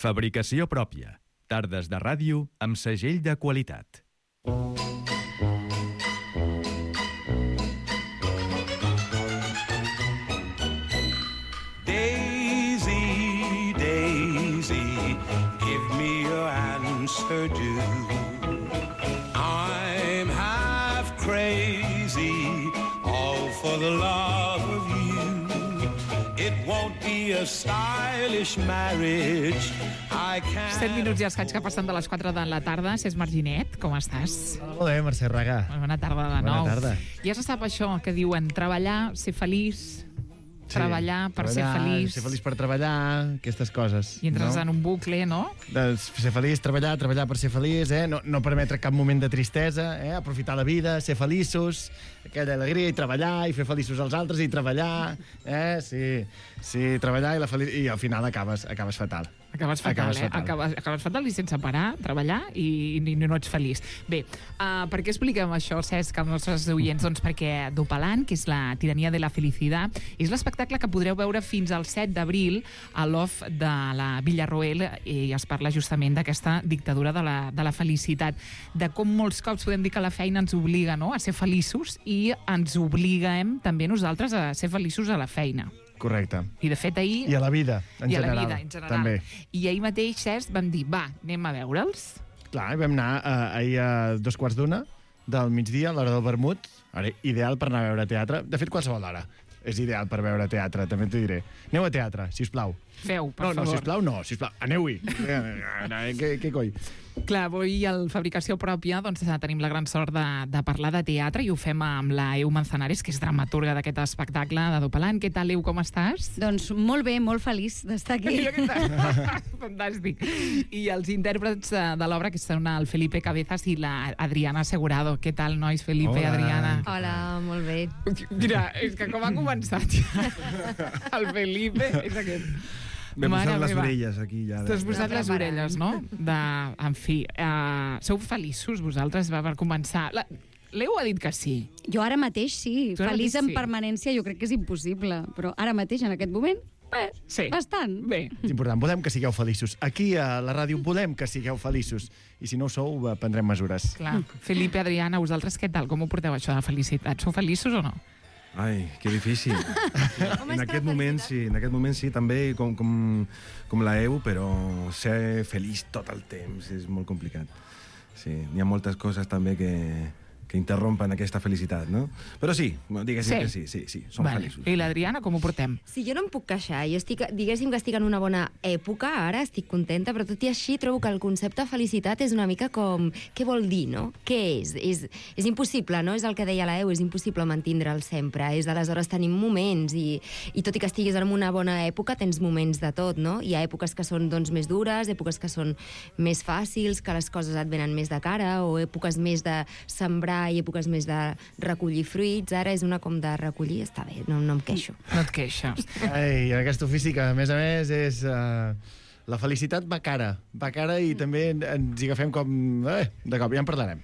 Fabricació pròpia. Tardes de ràdio amb segell de qualitat. Daisy, Daisy, give me your answer due. I'm half crazy, all for the love of you. It won't be a stylish marriage. 7 minuts i escaig que passen de les 4 de la tarda. Cés Marginet, com estàs? Molt bé, Mercè Raga. Bona tarda de nou. Bona tarda. Ja se sap això que diuen treballar, ser feliç, treballar per ser feliç. Ser feliç per treballar, aquestes coses. I entres en un bucle, no? Ser feliç, treballar per ser feliç, no permetre cap moment de tristesa, aprofitar la vida, ser feliços, aquella alegria, i treballar, i fer feliços als altres, i treballar, sí, treballar, i al final acabes fatal. Acabes fatal, Acabes fatal i sense parar, treballar i no ets feliç. Bé, per què expliquem això, Cesc, als nostres oients? Doncs perquè Dopalant, que és la tirania de la felicitat, és l'espectacle que podreu veure fins al 7 d'abril a l'OFF de la Villarroel, i es parla justament d'aquesta dictadura de la felicitat, de com molts cops podem dir que la feina ens obliga, no?, a ser feliços, i ens obliguem també nosaltres a ser feliços a la feina. Correcte. I de fet ahir... I a la vida, en general. I a la vida, en general. També. I ahir mateix, Cesc, vam dir, va, anem a veure'ls. Clar, vam anar ahir a 2:15 del migdia, a l'hora del vermut. Ara, ideal per anar a veure teatre. De fet, qualsevol hora és ideal per veure teatre, també t'ho diré. Aneu a teatre, sisplau. Feu, per favor. No, sisplau, aneu-hi. Què coi? Clar, avui al Fabricació Pròpia doncs, tenim la gran sort de parlar de teatre, i ho fem amb la Eu Manzanares, que és dramaturga d'aquest espectacle de Dopalant. Què tal, Eu, com estàs? Doncs molt bé, molt feliç d'estar aquí. Fantàstic. I els intèrprets de l'obra, que són el Felipe Cabezas i la Adriana Segurado. Què tal, nois? Felipe, Hola. Adriana. Hola, molt bé. Mira, és que com ha començat ja el Felipe, és aquest. M'he posat les orelles aquí ja. T'has posat les orelles, no? En fi, sou feliços vosaltres per començar? L'Eu ha dit que sí. Jo ara mateix sí. Feliç en permanència jo crec que és impossible, però ara mateix, en aquest moment, sí. Bastant. Bé. És important, volem que sigueu feliços. Aquí a la ràdio volem que sigueu feliços. I si no ho sou, prendrem mesures. Clar. Felipe, Adriana, vosaltres què tal? Com ho porteu, això de felicitat? Sou feliços o no? Ai, que difícil. En aquest moment sí, també com la EU, però ser feliç tot el temps és molt complicat. Sí, hi ha moltes coses també que interrompen aquesta felicitat, no? Però sí, diguéssim que sí, som feliços. I l'Adriana, com ho portem? Sí, jo no em puc queixar. Jo diguéssim que estic en una bona època, ara estic contenta, però tot i així trobo que el concepte de felicitat és una mica com... Què vol dir, no? Què és? És impossible, no? És el que deia la EU, és impossible mantindre'l sempre. Aleshores tenim moments i tot i que estiguis en una bona època, tens moments de tot, no? Hi ha èpoques que són, doncs, més dures, èpoques que són més fàcils, que les coses et venen més de cara, o èpoques més de sembrar i èpoques més de recollir fruits. Ara és una com de recollir, està bé, no em queixo. No et queixes. Ai, en aquest ofici que, a més, és... La felicitat va cara i també ens hi agafem com... de cop, ja en parlarem.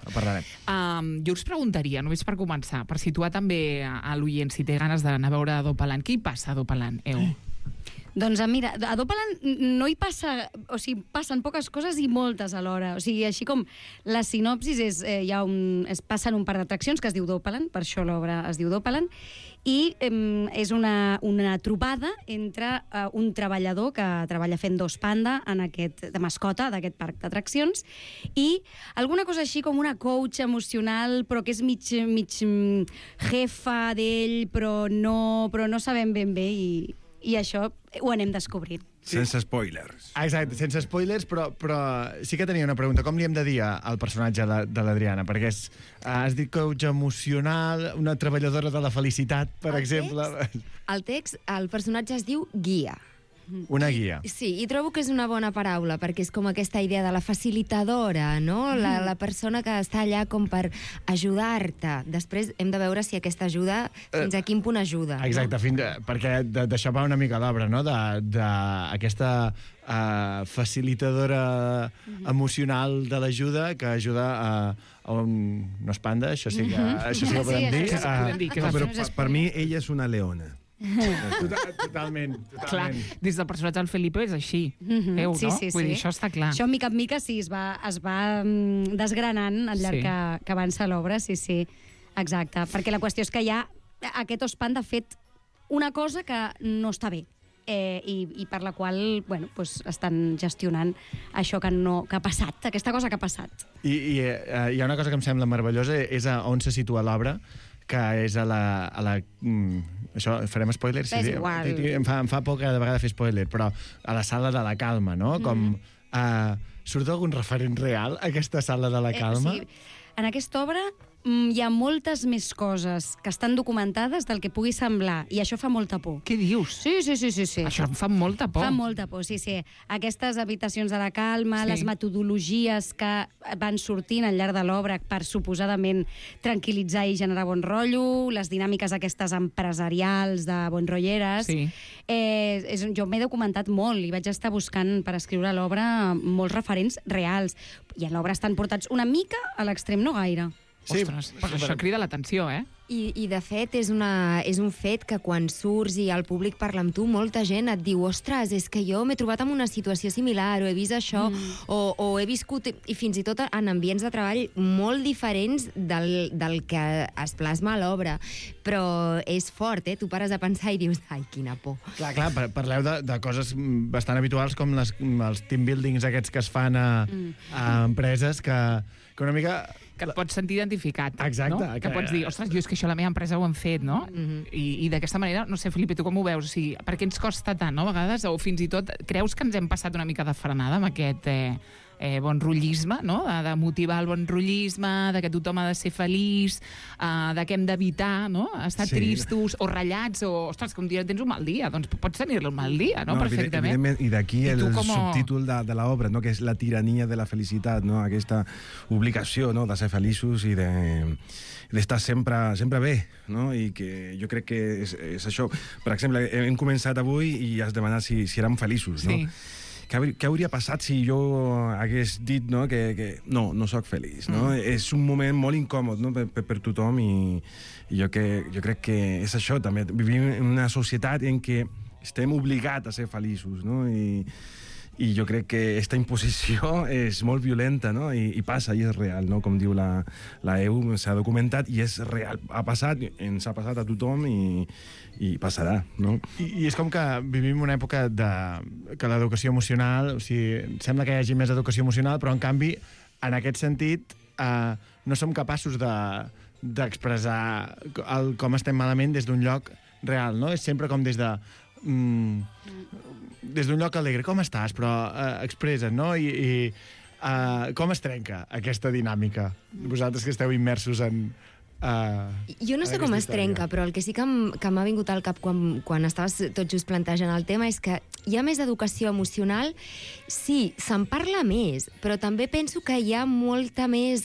Jo us preguntaria, només per començar, per situar també a l'oient, si té ganes d'anar a veure Dopalant. Què hi passa a Dopalant, Eu? Doncs mira, a Dopalant no hi passa... O sigui, passen poques coses i moltes alhora. O sigui, així com la sinopsis és... es passen un par d'atraccions que es diu Dopalant, per això l'obra es diu Dopalant, i és una trobada entre un treballador que treballa fent dos panda de mascota d'aquest parc d'atraccions, i alguna cosa així com una coach emocional, però que és mig jefa d'ell, però no sabem ben bé, i això ho anem descobrint. Sense spoilers. Exacte, sense spoilers, però sí que tenia una pregunta. Com li hem de dir al personatge de l'Adriana? Perquè has dit coach emocional, una treballadora de la felicitat, per exemple. El text, el personatge es diu guia. Una guia. Sí, i trobo que és una bona paraula, perquè és com aquesta idea de la facilitadora, no? La persona que està allà com per ajudar-te. Després hem de veure si aquesta ajuda, fins a quin punt ajuda. Exacte, perquè d'això va una mica l'obra, no? D'aquesta facilitadora emocional de l'ajuda que ajuda a un... No és panda, això sí que ho podem dir. Però per mi ella és una leona. Totalment. Clar, des del personatge del Felipe és així. No? Sí. Vull dir, això està clar. Això, mica en mica, sí, es va desgranant al llarg que avança l'obra, sí. Exacte, perquè la qüestió és que hi ha aquest Ospan, de fet, una cosa que no està bé. I per la qual estan gestionant això que ha passat, aquesta cosa que ha passat. I hi ha una cosa que em sembla meravellosa, és on se situa l'obra, que és a la això, farem spoilers? És igual. Em fa por cada vegada fer spoiler, però a la sala de la calma, no? Com surt algun referent real a aquesta sala de la calma? Sí. En aquesta obra hi ha moltes més coses que estan documentades del que pugui semblar, i això fa molta por. Què dius? Sí. Això em fa molta por. Fa molta por, sí. Aquestes habitacions de la calma, les metodologies que van sortint al llarg de l'obra per suposadament tranquil·litzar i generar bon rotllo, les dinàmiques aquestes empresarials de bonrolleres. Sí. Jo m'he documentat molt i vaig estar buscant per escriure l'obra molts referents reals. I a l'obra estan portats una mica a l'extrem, no gaire. Sí, ostres, però això crida l'atenció, eh? I de fet, és un fet que quan surts i el públic parla amb tu, molta gent et diu, ostres, és que jo m'he trobat en una situació similar, o he vist això, o he viscut, i fins i tot en ambients de treball molt diferents del que es plasma a l'obra. Però és fort, tu pares a pensar i dius, ai, quina por. Clar, parleu de coses bastant habituals com els team buildings aquests que es fan a empreses que una mica... Que et pots sentir identificat, exacte, no? Que pots dir, ostres, jo és que això a la meva empresa ho han fet, no? I d'aquesta manera, no sé, Felipe, tu com ho veus? O sigui, per què ens costa tant, no, a vegades? O fins i tot, creus que ens hem passat una mica de frenada amb aquest bon rotllisme, no? De motivar el bon rotllisme, de que tothom ha de ser feliç, de que hem d'evitar, no? Estar tristos o ratllats, o, ostres, que un dia tens un mal dia, doncs pots tenir-lo un mal dia, no? Perfectament. I d'aquí el subtítol de l'obra, no? Que és la tirania de la felicitat, no? Aquesta obligació, no? De ser feliços i d'estar sempre bé, no? I que jo crec que és això. Per exemple, hem començat avui i has demanat si érem feliços, no? Què hauria passat si jo hagués dit, no, que no sóc feliç, no? És un moment molt incòmod, no, per tothom, i jo crec que és això també. Vivim en una societat en què estem obligats a ser feliços, no? I jo crec que aquesta imposició és molt violenta, no? I passa, i és real, no? Com diu la EU, s'ha documentat i és real. Ha passat, ens ha passat a tothom i passarà, no? I és com que vivim una època que l'educació emocional, o sigui, sembla que hi hagi més educació emocional, però en canvi, en aquest sentit, no som capaços d'expressar com estem malament des d'un lloc real, no? És sempre com des d'un lloc alegre. Com estàs? Però expressa't, no? I com es trenca aquesta dinàmica? Vosaltres que esteu immersos en... Jo no sé com es trenca, però el que sí que m'ha vingut al cap quan estaves tot just plantejant el tema és que hi ha més educació emocional. Sí, se'n parla més, però també penso que hi ha molta més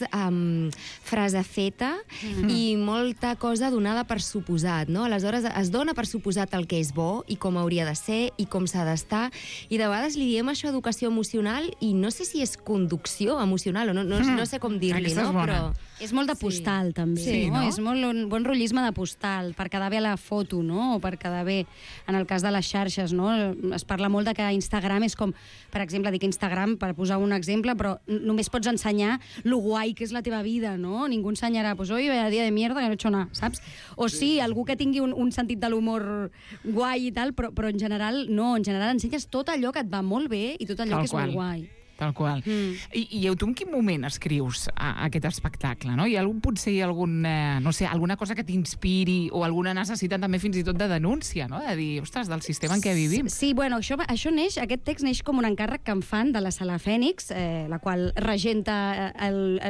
frase feta i molta cosa donada per suposat, no? Aleshores es dona per suposat el que és bo i com hauria de ser i com s'ha d'estar, i de vegades li diem això educació emocional i no sé si és conducció emocional o no sé com dir-li, no? Però és molt de postal, també. Sí, no? És molt un bon rotllisme de postal, per quedar bé a la foto, no? O per quedar bé en el cas de les xarxes, no? Es parla molt de que Instagram és com, per exemple, dic Instagram per posar un exemple, però només pots ensenyar lo guai que és la teva vida, no? Ningú ensenyarà, pues hoy vaya día de mierda que no he hecho nada, saps? O sí, algú que tingui un sentit de l'humor guai i tal, però en general no, en general ensenyes tot allò que et va molt bé i tot allò que és molt guai. Tal qual. I tu en quin moment escrius aquest espectacle, no? Hi ha potser alguna cosa que t'inspiri o alguna necessitat també fins i tot de denúncia, no? De dir, ostres, del sistema en què vivim. Sí, bueno, això neix, aquest text neix com un encàrrec que em fan de la Sala Fènix, la qual regenta,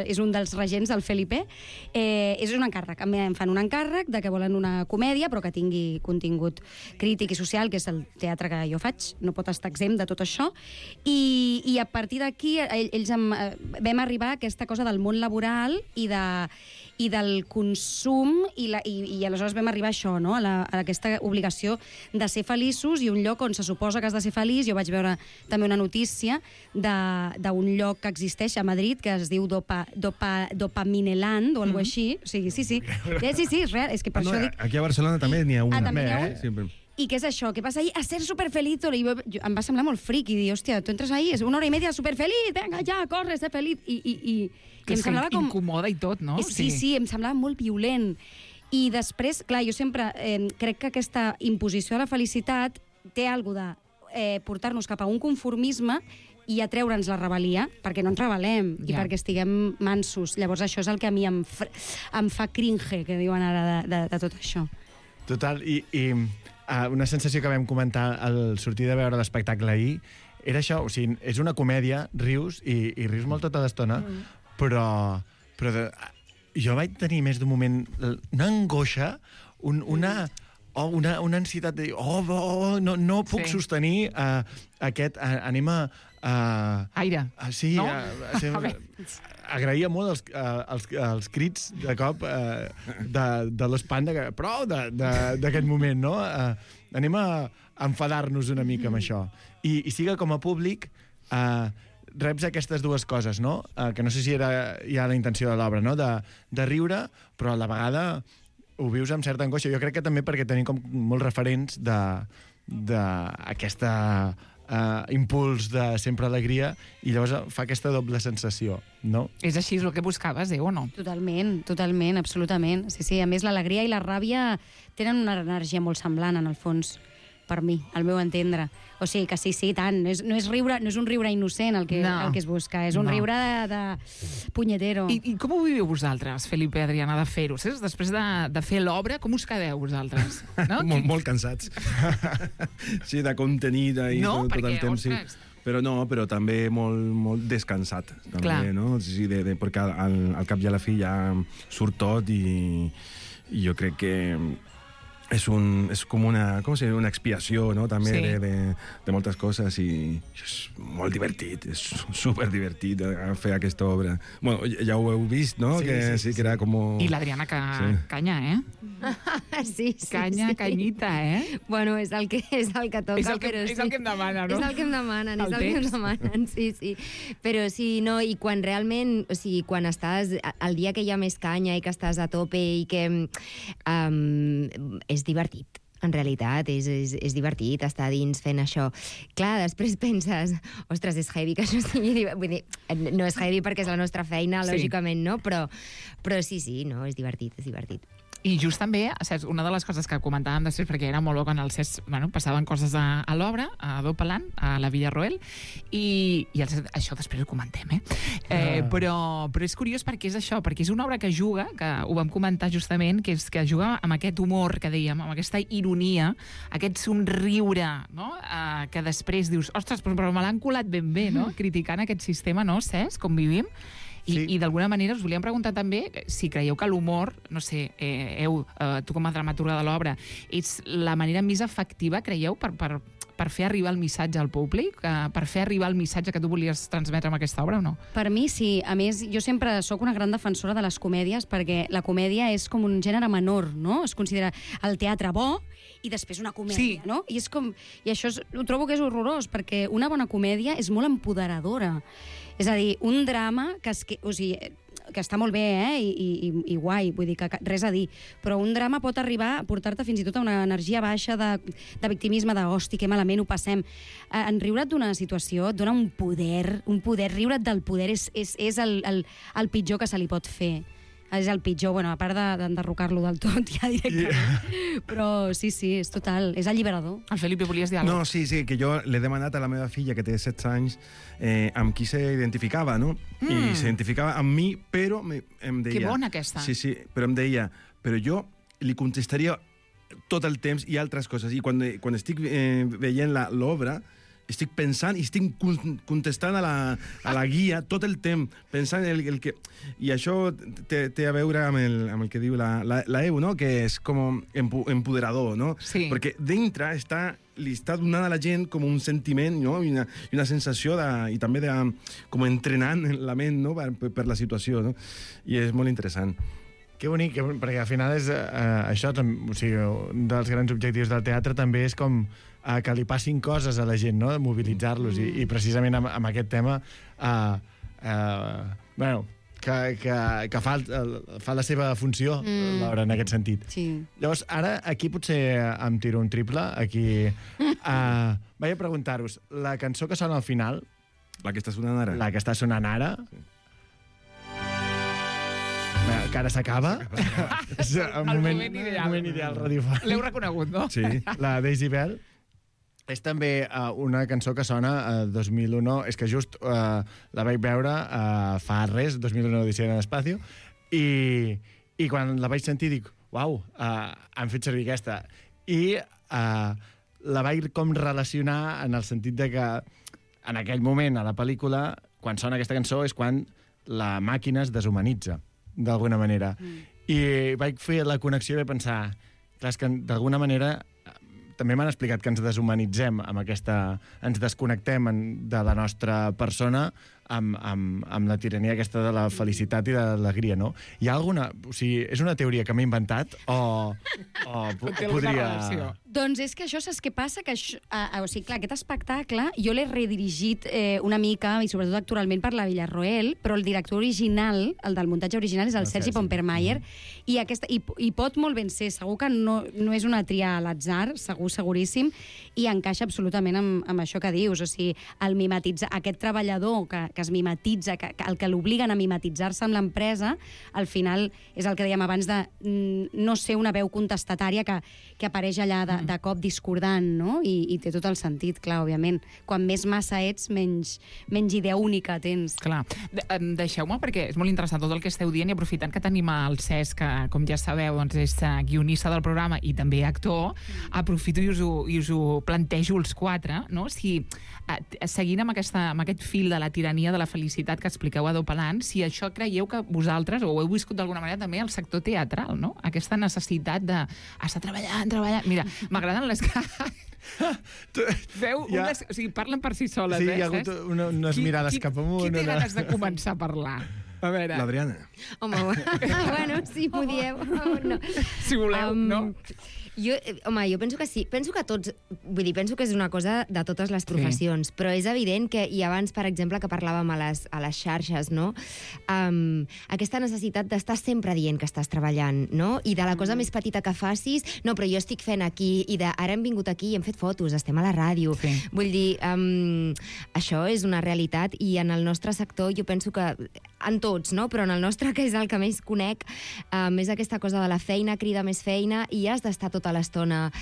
és un dels regents, el Felipe. És un encàrrec, em fan un encàrrec de que volen una comèdia però que tingui contingut crític i social, que és el teatre que jo faig, no pot estar exempt de tot això, i a partir d'aquí ells vam arribar a aquesta cosa del món laboral i del consum i aleshores vam arribar a això, no? a aquesta obligació de ser feliços i un lloc on se suposa que has de ser feliç. Jo vaig veure també una notícia d'un lloc que existeix a Madrid que es diu Dopamineland o alguna així. O sigui, sí, és real. És que per això dic... Aquí a Barcelona també n'hi ha una. També n'hi ha un? Sí, I què és això? Què passa ahí? A ser superfeliz. I em va semblar molt fric i dir, hòstia, tu entres ahí, és 1 hora i media superfeliz, venga, ja, corre, ser feliz. I Que em semblava com... incomoda i tot, no? Sí, em semblava molt violent. I després, clar, jo sempre crec que aquesta imposició de la felicitat té alguna de portar-nos cap a un conformisme i atreure'ns la rebel·lia, perquè no ens rebel·lem i perquè estiguem mansos. Llavors això és el que a mi em fa cringe, que diuen ara, de tot això. Total, i una sensació que vam comentar al sortir de veure l'espectacle ahir era això, o sigui, és una comèdia, rius, i rius molt tota l'estona, però jo vaig tenir més d'un moment una angoixa, una ansietat de dir, no puc sostenir aquest, anem a... Aire. Sí, no? agraïa molt els crits de cop de l'espant, prou d'aquest moment, no? Anem a enfadar-nos una mica amb això. I sí que com a públic reps aquestes dues coses, no? Que no sé si era ja la intenció de l'obra, no? De riure, però a la vegada ho vius amb certa angoixa. Jo crec que també perquè tenim com molts referents d'aquesta impuls de sempre alegria i llavors fa aquesta doble sensació, no? És així, és el que buscaves, o no? Totalment, absolutament. Sí, a més l'alegria i la ràbia tenen una energia molt semblant, en el fons, per mi, al meu entendre. O sigui que sí, tant. No és un riure innocent el que es busca, és un riure de punyetero. I com ho viviu vosaltres, Felipe i Adriana, de fer-ho? Després de fer l'obra, com us quedeu vosaltres? No? Molt cansats. Sí, de contenir tot el temps. Ostres... Però també molt descansat. També, no? Sí, perquè al cap i a la fi ja surt tot i jo crec que és com una expiació, no? També de moltes coses i és molt divertit, és superdivertit fer aquesta obra. Bueno, ja ho heu vist, no? Sí, que era com... I l'Adriana canya, Sí. Canyita, Bueno, és el que toca, però sí. És el que em demana, no? És el que em demanen, sí. Però sí, no, i quan realment, o sigui, quan estàs, el dia que hi ha més canya i que estàs a tope i que és divertit. En realitat, és divertit estar dins fent això. Clar, després penses, ostres, és heavy que això sigui... Vull dir, no és heavy perquè és la nostra feina, lògicament, no? Però sí, no, és divertit. I just també, saps, una de les coses que comentàvem després, perquè era molt bo quan el Cesc, passaven coses a l'obra, a Dopalant, a la Villarroel, i això després ho comentem, però és curiós perquè és això, perquè és una obra que juga, que ho vam comentar justament, que juga amb aquest humor que dèiem, amb aquesta ironia, aquest somriure, no? Que després dius, ostres, però me l'han colat ben bé, no? Criticant aquest sistema, no, Cesc, com vivim. I d'alguna manera us volíem preguntar també si creieu que l'humor, no sé, tu com a dramaturga de l'obra, és la manera més efectiva, creieu, per fer arribar el missatge al públic, per fer arribar el missatge que tu volies transmetre amb aquesta obra o no? Per mi sí. A més, jo sempre sóc una gran defensora de les comèdies perquè la comèdia és com un gènere menor, no? Es considera el teatre bo i després una comèdia, no? I això ho trobo que és horrorós perquè una bona comèdia és molt empoderadora. És a dir, un drama que està molt bé, i guai, vull dir que res a dir, però un drama pot arribar a portar-te fins i tot a una energia baixa de victimisme, de hosti, que malament ho passem. En riure't d'una situació et dona un poder, riure't del poder és el pitjor que se li pot fer. És el pitjor, bueno, a part d'enderrocar-lo del tot, ja directament. Però sí, és total, és alliberador. El Felipe, volies dir alguna cosa? No, sí, que jo l'he demanat a la meva filla, que té 16 anys, amb qui s'identificava, no? I s'identificava amb mi, però em deia... Que bona aquesta. Sí, però em deia, però jo li contestaria tot el temps i altres coses. I quan estic veient l'obra, estic pensant i estic contestant a la guia tot el temps, pensant el que... I això té a veure amb el que diu la EU, no? Que és com empoderador, no? Sí. Perquè dintre li està donant a la gent com un sentiment, no? I una sensació i també com entrenant la ment, no? Per la situació, no? I és molt interessant. Que bonic, perquè al final és això, o sigui, un dels grans objectius del teatre també és com que li passin coses a la gent, no? Mobilitzar-los, i precisament amb aquest tema bueno, que fa la seva funció, Laura, en aquest sentit. Sí. Llavors, ara, aquí potser em tiro un triple. Aquí vaig a preguntar-vos, la cançó que sona al final, La que està sonant ara. la que està sonant ara, que ara s'acaba, és el moment ideal radiofònic. L'heu reconegut, no? Sí. La Daisy Bell és també una cançó que sona a 2001. És que just la vaig veure fa res, 2001 Odissea en l'Espacio, i quan la vaig sentir dic, uau, han fet servir aquesta. I la vaig com relacionar en el sentit de que en aquell moment a la pel·lícula, quan sona aquesta cançó, és quan la màquina es deshumanitza, d'alguna manera. I vaig fer la connexió i vaig pensar, clar, és que d'alguna manera també m'han explicat que ens deshumanitzem amb aquesta... Ens desconnectem de la nostra persona amb la tirania aquesta de la felicitat i de l'alegria, no? Hi ha alguna... O sigui, és una teoria que m'he inventat o podria... Doncs és que això, saps què passa? Que això, o sigui, clar, aquest espectacle jo l'he redirigit una mica, i sobretot actualment per la Villarroel, però el director original, el del muntatge original, és el Sergi Pompermayer, i pot molt ben ser, segur que no és una tria a l'atzar, seguríssim, i encaixa absolutament amb això que dius, o sigui, el mimetitzar, aquest treballador que es mimetitza, el que l'obliguen a mimetitzar-se amb l'empresa, al final és el que dèiem abans de no ser una veu contestatària que apareix allà de cop discordant, no? I té tot el sentit, clar, òbviament. Quan més massa ets, menys idea única tens. Clar. Deixeu-me, perquè és molt interessant tot el que esteu dient, i aprofitant que tenim el Cesc, que, com ja sabeu, doncs és guionista del programa i també actor, aprofito i us ho plantejo els quatre, no? Si, seguint amb aquest fil de la tirania de la felicitat que expliqueu a Dopalant, si això creieu que vosaltres, o ho heu viscut d'alguna manera també al sector teatral, no? Aquesta necessitat d'estar treballant. Mira, m'agraden les Veu unes... O sigui, parlen per si soles, sí, hi ha hagut unes mirades cap amunt. Qui té ganes de començar a parlar? A veure... L'Adriana. Home, bueno, si m'ho dieu. No. Si voleu, no? Jo penso que sí. Penso que tots... Vull dir, penso que és una cosa de totes les professions, però és evident que, i abans, per exemple, que parlàvem a les xarxes, no? Aquesta necessitat d'estar sempre dient que estàs treballant, no? I de la cosa més petita que facis, no, però jo estic fent aquí, i ara hem vingut aquí i hem fet fotos, estem a la ràdio. Sí. Vull dir, això és una realitat, i en el nostre sector jo penso que en tots, no? Però en el nostre, que és el que més conec, és aquesta cosa de la feina crida més feina, i has d'estar tota l'estona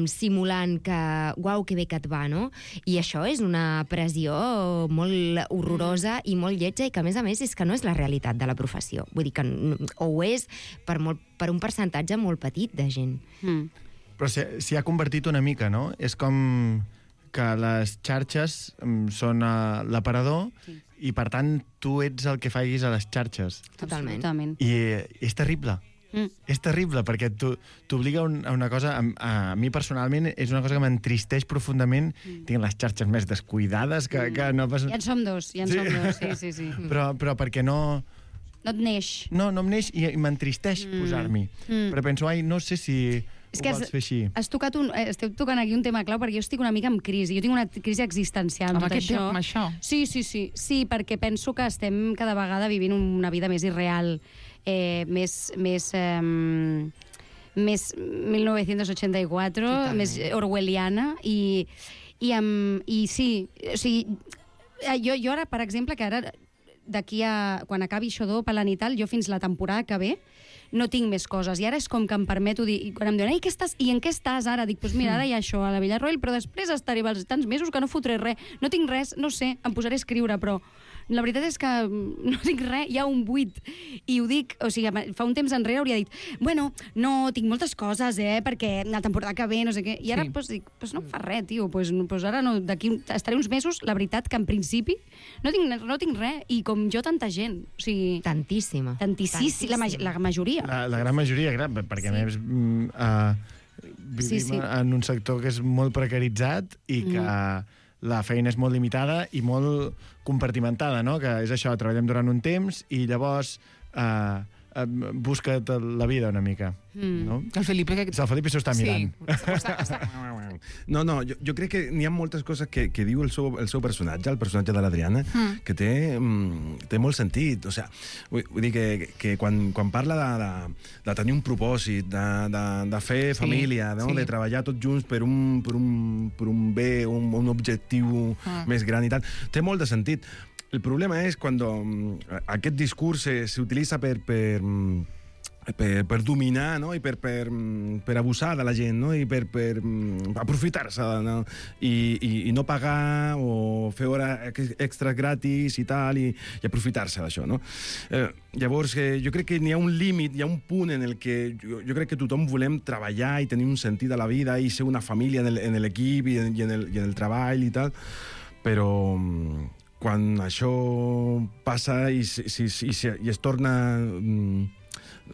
simulant que, uau, que bé que et va, no? I això és una pressió molt horrorosa i molt lletja, i que, a més, és que no és la realitat de la professió. Vull dir que ho és per un percentatge molt petit de gent. Però s'hi ha convertit una mica, no? És com que les xarxes són l'aparador, i, per tant, tu ets el que facis a les xarxes. Totalment. I és terrible. És terrible, perquè t'obliga a una cosa... A mi, personalment, és una cosa que m'entristeix profundament. Tinc les xarxes més descuidades que no pas... Ja en som dos, sí. Però perquè no... No et neix. No em neix, i m'entristeix posar-m'hi. Però penso, no sé si... És que esteu tocant aquí un tema clau, perquè jo estic una mica en crisi. Jo tinc una crisi existencial amb tot això. Amb això? Sí, perquè penso que estem cada vegada vivint una vida més irreal, més 1984, totalment. Més orwelliana, i sí, o sigui, jo ara, per exemple, que ara d'aquí a... quan acabi això d'Opalant i tal, jo fins la temporada que ve no tinc més coses, i ara és com que em permeto dir, i quan em diuen, i en què estàs ara? Dic, doncs mira, ara hi ha això a la Villarroel, però després estaré tants mesos que no fotré res, no tinc res, no sé, em posaré a escriure, però la veritat és que no tinc res, hi ha un buit, i ho dic, o sigui, fa un temps enrere hauria dit, bueno, no, tinc moltes coses, perquè la temporada que ve, no sé què, i ara dic, no em fa res, tio, ara no, d'aquí estaré uns mesos, la veritat que en principi no tinc res, i com jo tanta gent, o sigui... Tantíssima. La majoria. La gran majoria, perquè a més vivim en un sector que és molt precaritzat i que la feina és molt limitada i molt compartimentada, no? Que és això, treballem durant un temps i llavors busca't la vida una mica. No? El Felipe... El Felipe s'ho està mirant. No, jo crec que n'hi ha moltes coses que diu el seu personatge, el personatge de l'Adriana, que té molt sentit. O sigui, vull dir que quan parla de tenir un propòsit, de fer família, no? De treballar tots junts per un bé, un objectiu més gran i tal, té molt de sentit. El problema és quan aquest discurs s'utilitza per dominar, no? I per abusar de la gent, no? I per aprofitar-se, no? I no pagar o fer hores extras gratis i tal, i aprofitar-se d'això, no? Llavors, jo crec que n'hi ha un límit, hi ha un punt en el que jo crec que tothom volem treballar i tenir un sentit a la vida i ser una família en l'equip i en el treball i tal, però quan això passa i es torna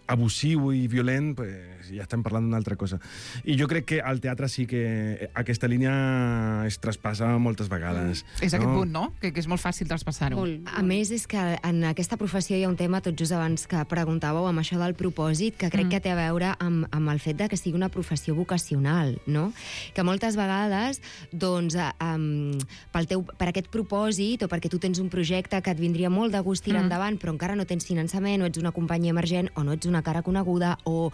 abusiu i violent, pues ja estem parlant d'una altra cosa. I jo crec que al teatre sí que aquesta línia es traspassa moltes vegades. És aquest punt, no? Que és molt fàcil traspassar-ho. A més, és que en aquesta professió hi ha un tema, tot just abans que preguntàveu, amb això del propòsit, que crec que té a veure amb el fet de que sigui una professió vocacional, no? Que moltes vegades, doncs, per aquest propòsit, o perquè tu tens un projecte que et vindria molt de gust tirar endavant, però encara no tens finançament, o ets una companyia emergent, o no ets una cara coneguda, o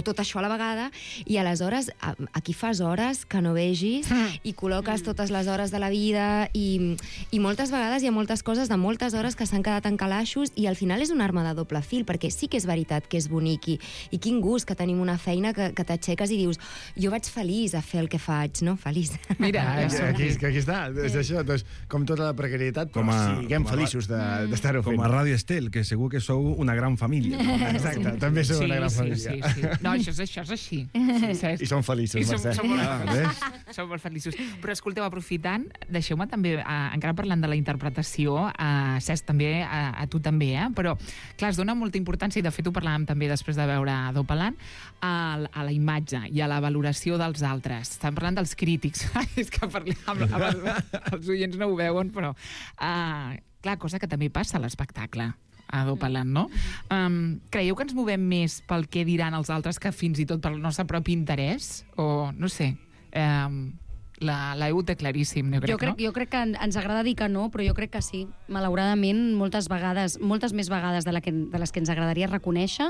tot això a la vegada, i aleshores aquí fas hores que no vegis i col·loques totes les hores de la vida i moltes vegades hi ha moltes coses de moltes hores que s'han quedat en calaixos i al final és una arma de doble fil, perquè sí que és veritat que és bonic i quin gust que tenim una feina que t'aixeques i dius, jo vaig feliç a fer el que faig, no? Feliç. Mira, aquí està, és això, doncs, com tota la precarietat, però siguem feliços d'estar-ho fent. Com a Ràdio Estel, que segur que sou una gran família. Exacte, també sou una gran família. Sí. No, això és així. I som feliços, Mercè. Som molt feliços. Però escolteu, aprofitant, deixeu-me també, encara parlant de la interpretació, Cesc, també, a tu també, però, clar, es dona molta importància, i de fet ho parlàvem també després de veure Dopalant, a la imatge i a la valoració dels altres. Estem parlant dels crítics. És que els oients no ho veuen, però... Clar, cosa que també passa a l'espectacle, a Dopalant, no? Creieu que ens movem més pel que diran els altres que fins i tot pel nostre propi interès? O, no sé, l'Eu té claríssim, no? Jo crec que ens agrada dir que no, però jo crec que sí. Malauradament, moltes més vegades de les que ens agradaria reconèixer,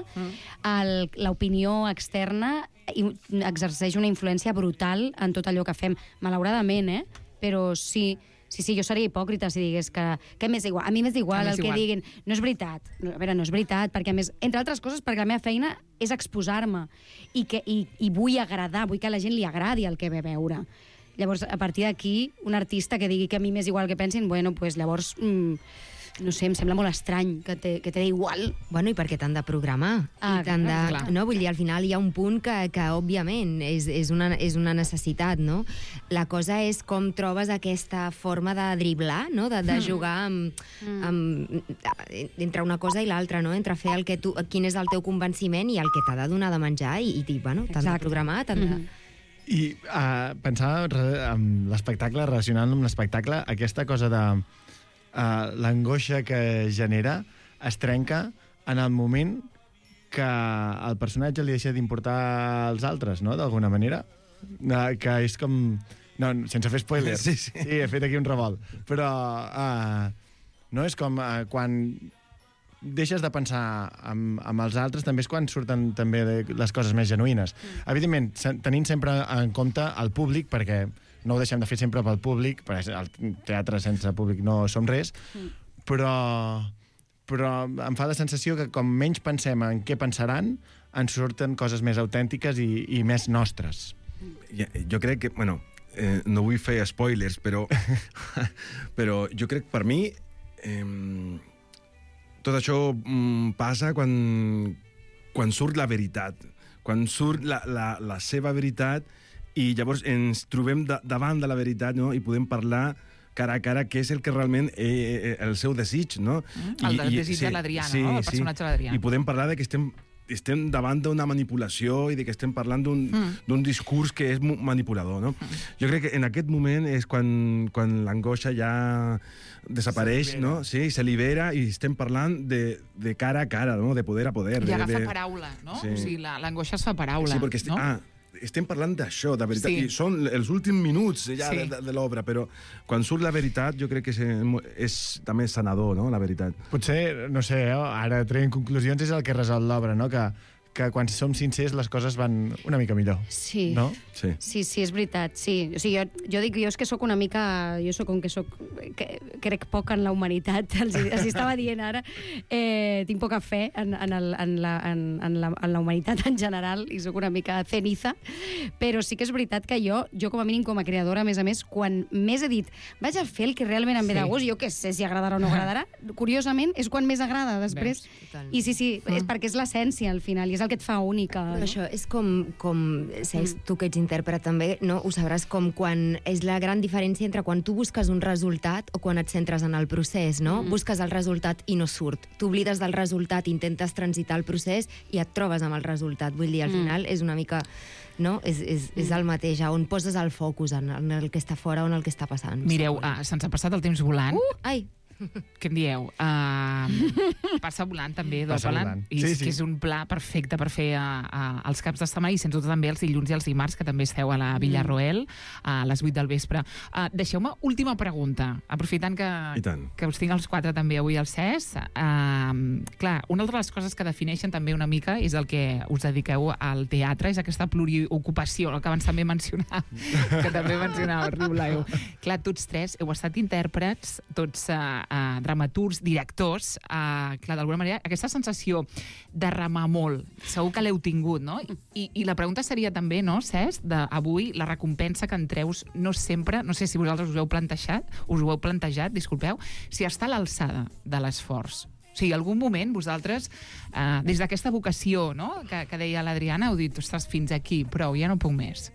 l'opinió externa exerceix una influència brutal en tot allò que fem. Malauradament, però sí... Sí, jo seria hipòcrita si digués que m'és igual. A mi m'és igual el que diguin. No és veritat. A veure, no és veritat, perquè a més, entre altres coses, perquè la meva feina és exposar-me i vull agradar, vull que a la gent li agradi el que ve a veure. Llavors, a partir d'aquí, un artista que digui que a mi m'és igual que pensin, bueno, pues llavors... no sé, em sembla molt estrany que té igual. Bueno, i perquè t'han de programar. No, vull dir, al final hi ha un punt que òbviament, és una necessitat, no? La cosa és com trobes aquesta forma de driblar, no? De jugar entre una cosa i l'altra, no? Entre fer quin és el teu convenciment i el que t'ha de donar de menjar i dir, bueno, t'han de programar, t'han de... I pensava en l'espectacle, relacionant amb l'espectacle, aquesta cosa de l'angoixa que genera es trenca en el moment que el personatge li deixa d'importar als altres, no?, d'alguna manera. Que és com... No, sense fer spoilers. Sí, he fet aquí un revolt. Però no és com quan deixes de pensar amb els altres, també és quan surten també les coses més genuïnes. Evidentment, tenint sempre en compte el públic, perquè no ho deixem de fer sempre pel públic, perquè el teatre sense públic no som res, però em fa la sensació que com menys pensem en què pensaran, ens surten coses més autèntiques i més nostres. Jo crec que, bueno, no vull fer spoilers, però jo crec que per mi tot això passa quan surt la veritat, quan surt la seva veritat, i llavors ens trobem davant de la veritat, no?, i podem parlar cara a cara què és el que realment el seu desig, no? El desig de l'Adriana, no?, el personatge de l'Adriana. I podem parlar de que estem estem davant d'una manipulació i de que estem parlant d'un discurs que és manipulador, no? Jo crec que en aquest moment és quan l'angoixa ja desapareix, no? Sí, se libera i estem parlant de cara a cara, no? De poder a poder. I agafa paraula, no? Sí. O sigui, l'angoixa es fa paraula, sí, perquè no? Estem parlant d'això, de veritat, Sí. i són els últims minuts ja Sí. de l'obra, però quan surt la veritat jo crec que és també sanador, no?, la veritat. Potser, no sé, ara traient conclusions és el que resol l'obra, no? Que quan som sincers les coses van una mica millor. Sí. No? Sí. Sí, és veritat, sí. O sigui, jo dic, jo és que sóc una mica... Jo sóc com que sóc... Que crec poc en la humanitat, els estava dient ara. Tinc poca fe en la humanitat en general i sóc una mica ceniza, però sí que és veritat que jo com a mínim com a creadora, a més, quan més he dit vaig a fer el que realment em ve de gust, jo què sé si agradarà o no agradarà, curiosament és quan més agrada després. I sí, és perquè és l'essència al final, i és el que et fa única. Però això és com Cesc, tu que ets intèrpret també, no? Ho sabràs com quan és la gran diferència entre quan tu busques un resultat o quan et centres en el procés, no? Busques el resultat i no surt. Tu oblides del resultat, intentes transitar el procés i et trobes amb el resultat. Vull dir, al final és una mica... No? És el mateix, on poses el focus, en el que està fora o en el que està passant. Mireu, se'ns ha passat el temps volant. Ai! Què en dieu? Passa volant, també, Passa Dopalant. volant. I Sí, és que és un pla perfecte per fer els caps de setmana i sens dubte també els dilluns i els dimarts, que també esteu a la Villarroel a les 8 del vespre. Deixeu-me última pregunta, aprofitant que us tinc els quatre també avui al CES. Clar, una altra de les coses que defineixen també una mica és el que us dediqueu al teatre, és aquesta pluriocupació, el que abans també mencionava, Riuleu. Clar, tots tres heu estat intèrprets, tots dramaturgs, directors, clar, d'alguna manera, aquesta sensació de remar molt, segur que l'heu tingut, no? I la pregunta seria també, no, Cesc, d'avui, la recompensa que en treus no sempre, no sé si vosaltres us ho heu plantejat, disculpeu, si està a l'alçada de l'esforç. O sigui, algun moment vosaltres, des d'aquesta vocació, no?, que deia l'Adriana, heu dit, ostres, fins aquí, prou, ja no puc més.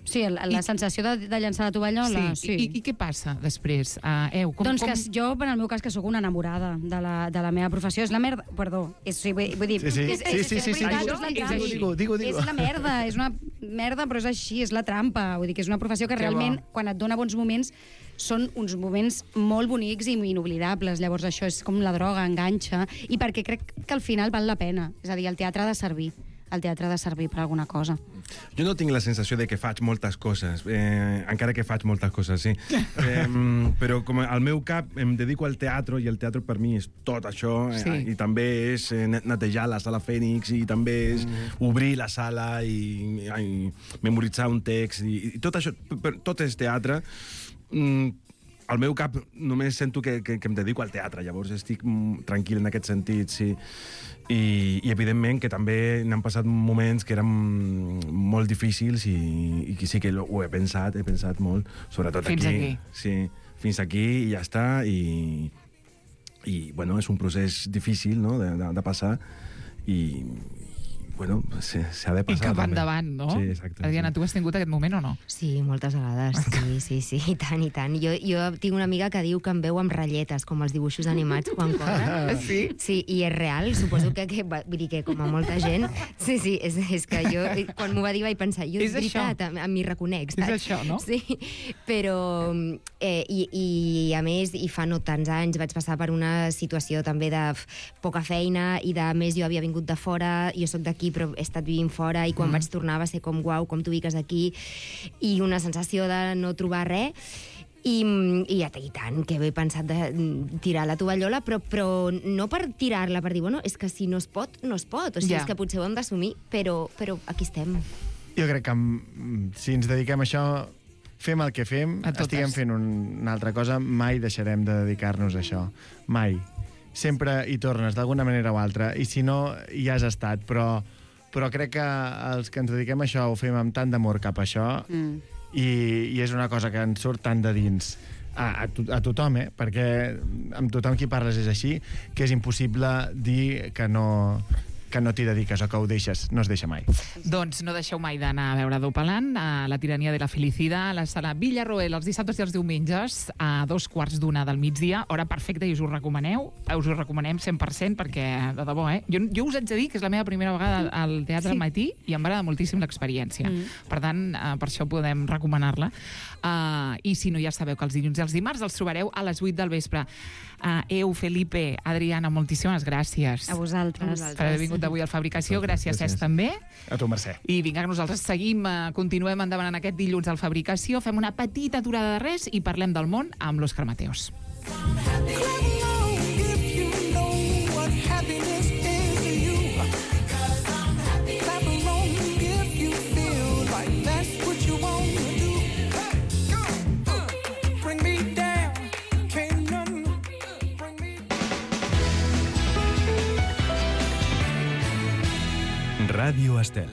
Sí, la sensació de llançar la tovallola. Sí. I què passa després? Doncs que jo, en el meu cas, que sóc una enamorada de la meva professió, és la merda... Perdó, vull dir... Sí. Digue. És la merda, és una merda, però és així, és la trampa. Vull dir que és una professió que realment, quan et dona bons moments, són uns moments molt bonics i inoblidables. Llavors això és com la droga, enganxa, i perquè crec que al final val la pena. És a dir, el teatre ha de servir. El teatre ha de servir per alguna cosa. Jo no tinc la sensació de que faig moltes coses, encara que faig moltes coses, sí. Però com al meu cap em dedico al teatre, i el teatre per mi és tot això, i també és netejar la sala Fènix, i també és obrir la sala i memoritzar un text, i tot això, tot és teatre. Al meu cap només sento que em dedico al teatre, llavors estic tranquil en aquest sentit, sí. I evidentment que també n'han passat moments que eren molt difícils i que sí que ho he pensat molt, sobretot fins aquí. Sí, fins aquí i ja està, i bueno, és un procés difícil, no?, de passar, i bueno, s'ha de passar. I cap endavant, no? Sí, exacte. Adriana, tu has tingut aquest moment o no? Sí, moltes vegades, sí, i tant. Jo tinc una amiga que diu que em veu amb ratlletes, com els dibuixos animats quan cobra. Sí? Sí, i és real, suposo que vull dir que com a molta gent... Sí, és que jo, quan m'ho va dir, vaig pensar, jo és veritat, m'hi reconec, saps? És això, no? Sí, però... I a més, i fa no tants anys, vaig passar per una situació també de poca feina, i de més jo havia vingut de fora, jo sóc d'aquí, però he estat vivint fora, i quan vaig tornar va ser com, uau, com t'ubiques aquí, i una sensació de no trobar res, i tant, que he pensat de tirar la tovallola, però no per tirar-la, per dir, bueno, és que si no es pot, no es pot, o sigui, és que potser ho hem d'assumir, però aquí estem. Jo crec que si ens dediquem a això, fem el que fem, estiguem fent una altra cosa, mai deixarem de dedicar-nos a això, mai. Sempre hi tornes, d'alguna manera o altra, i si no, ja has estat, però crec que els que ens dediquem a això ho fem amb tant d'amor cap a això, i és una cosa que ens surt tant de dins a tothom, perquè amb tothom qui parles és així, que és impossible dir que no que no t'hi dediques o que ho deixes, no es deixa mai. Doncs no deixeu mai d'anar a veure Dopalan, a la tirania de la felicitat, a la sala Villarroel, els dissabtes i els diumenges, a 2:15 del migdia, hora perfecta, i us ho recomanem 100%, perquè, de debò, jo us haig de dir que és la meva primera vegada al teatre al matí i em va agradar moltíssim l'experiència. Per tant, per això podem recomanar-la. I si no, ja sabeu que els dilluns i els dimarts els trobareu a les 8 del vespre. Felipe, Adriana, moltíssimes gràcies. A vosaltres. Per haver vingut avui al Fabricació. Gràcies, Cesc, també. A tu, Mercè. I vinga, que nosaltres seguim, continuem endavant en aquest dilluns al Fabricació, fem una petita aturada de res i parlem del món amb l'Òscar Mateos. Ràdio Estel.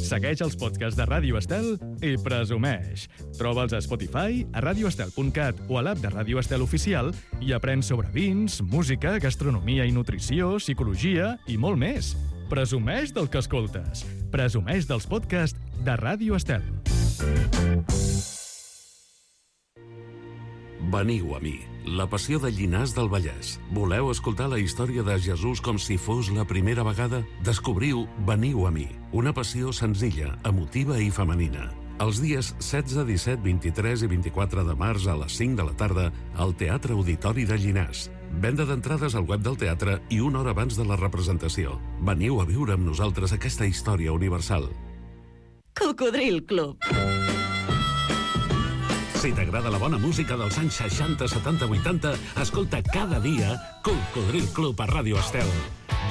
Segueix els podcasts de Ràdio Estel i presumeix. Troba'ls a Spotify, a radioestel.cat o a l'app de Ràdio Estel Oficial i aprèn sobre vins, música, gastronomia i nutrició, psicologia i molt més. Presumeix del que escoltes. Presumeix dels podcasts de Ràdio Estel. Veniu a mi, la passió de Llinars del Vallès. Voleu escoltar la història de Jesús com si fos la primera vegada? Descobriu Veniu a mi, una passió senzilla, emotiva i femenina. Els dies 16, 17, 23 i 24 de març a les 5 de la tarda al Teatre Auditori de Llinars. Venda d'entrades al web del teatre i una hora abans de la representació. Veniu a viure amb nosaltres aquesta història universal. Cocodril Club. Si t'agrada la bona música dels anys 60, 70, 80, escolta cada dia Cocodril Club a Ràdio Estel.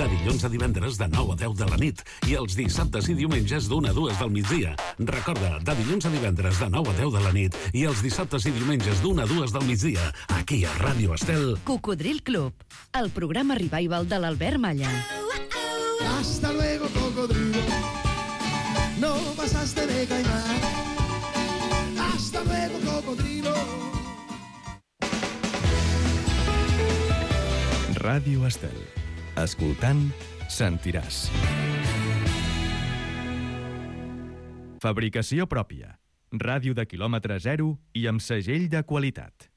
De dilluns a divendres de 9 a 10 de la nit i els dissabtes i diumenges d'1 a 2 del migdia. Recorda, de dilluns a divendres de 9 a 10 de la nit i els dissabtes i diumenges d'1 a 2 del migdia, aquí a Ràdio Estel. Cocodril Club, el programa revival de l'Albert Malla. Hasta luego, cocodrilo. No pasaste de caimán. Hasta luego, cocodrilo. Ràdio Estel. Escoltant, sentiràs. Fabricació pròpia. Ràdio de quilòmetre zero i amb segell de qualitat.